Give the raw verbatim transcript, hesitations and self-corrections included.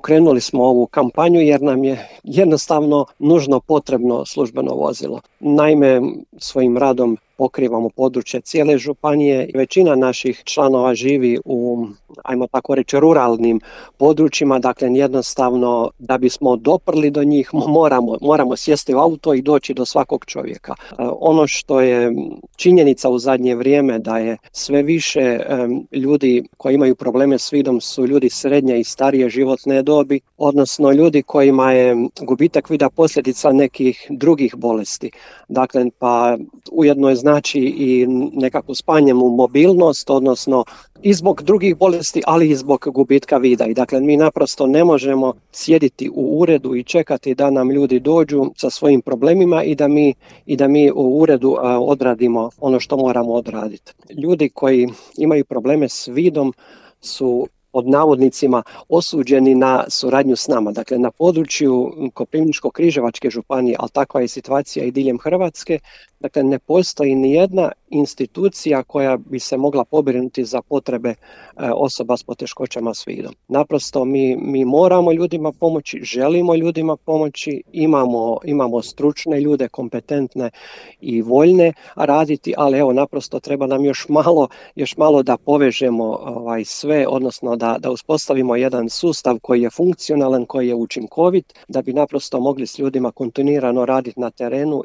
pokrenuli smo ovu kampanju jer nam je jednostavno nužno potrebno službeno vozilo. Naime, svojim radom pokrivamo područje cijele županije. Većina naših članova živi u, ajmo tako reći, ruralnim područjima, dakle jednostavno da bismo doprli do njih moramo, moramo sjesti u auto i doći do svakog čovjeka. Ono što je činjenica u zadnje vrijeme da je sve više um, ljudi koji imaju probleme s vidom su ljudi srednje i starije životne dobi, odnosno ljudi kojima je gubitak vida posljedica nekih drugih bolesti. Dakle, pa ujedno je znači i nekakvu smanjenu mobilnost, odnosno i zbog drugih bolesti, ali i zbog gubitka vida. I dakle, mi naprosto ne možemo sjediti u uredu i čekati da nam ljudi dođu sa svojim problemima i da mi, i da mi u uredu a, odradimo ono što moramo odraditi. Ljudi koji imaju probleme s vidom su pod navodnicima osuđeni na suradnju s nama. Dakle, na području Koprivničko-križevačke županije, ali takva je situacija i diljem Hrvatske, dakle, ne postoji ni jedna institucija koja bi se mogla pobrinuti za potrebe e, osoba s poteškoćama s vidom. Naprosto mi, mi moramo ljudima pomoći, želimo ljudima pomoći, imamo, imamo stručne ljude, kompetentne i voljne raditi, ali evo naprosto treba nam još malo, još malo da povežemo ovaj, sve, odnosno da, da uspostavimo jedan sustav koji je funkcionalan, koji je učinkovit, da bi naprosto mogli s ljudima kontinuirano raditi na terenu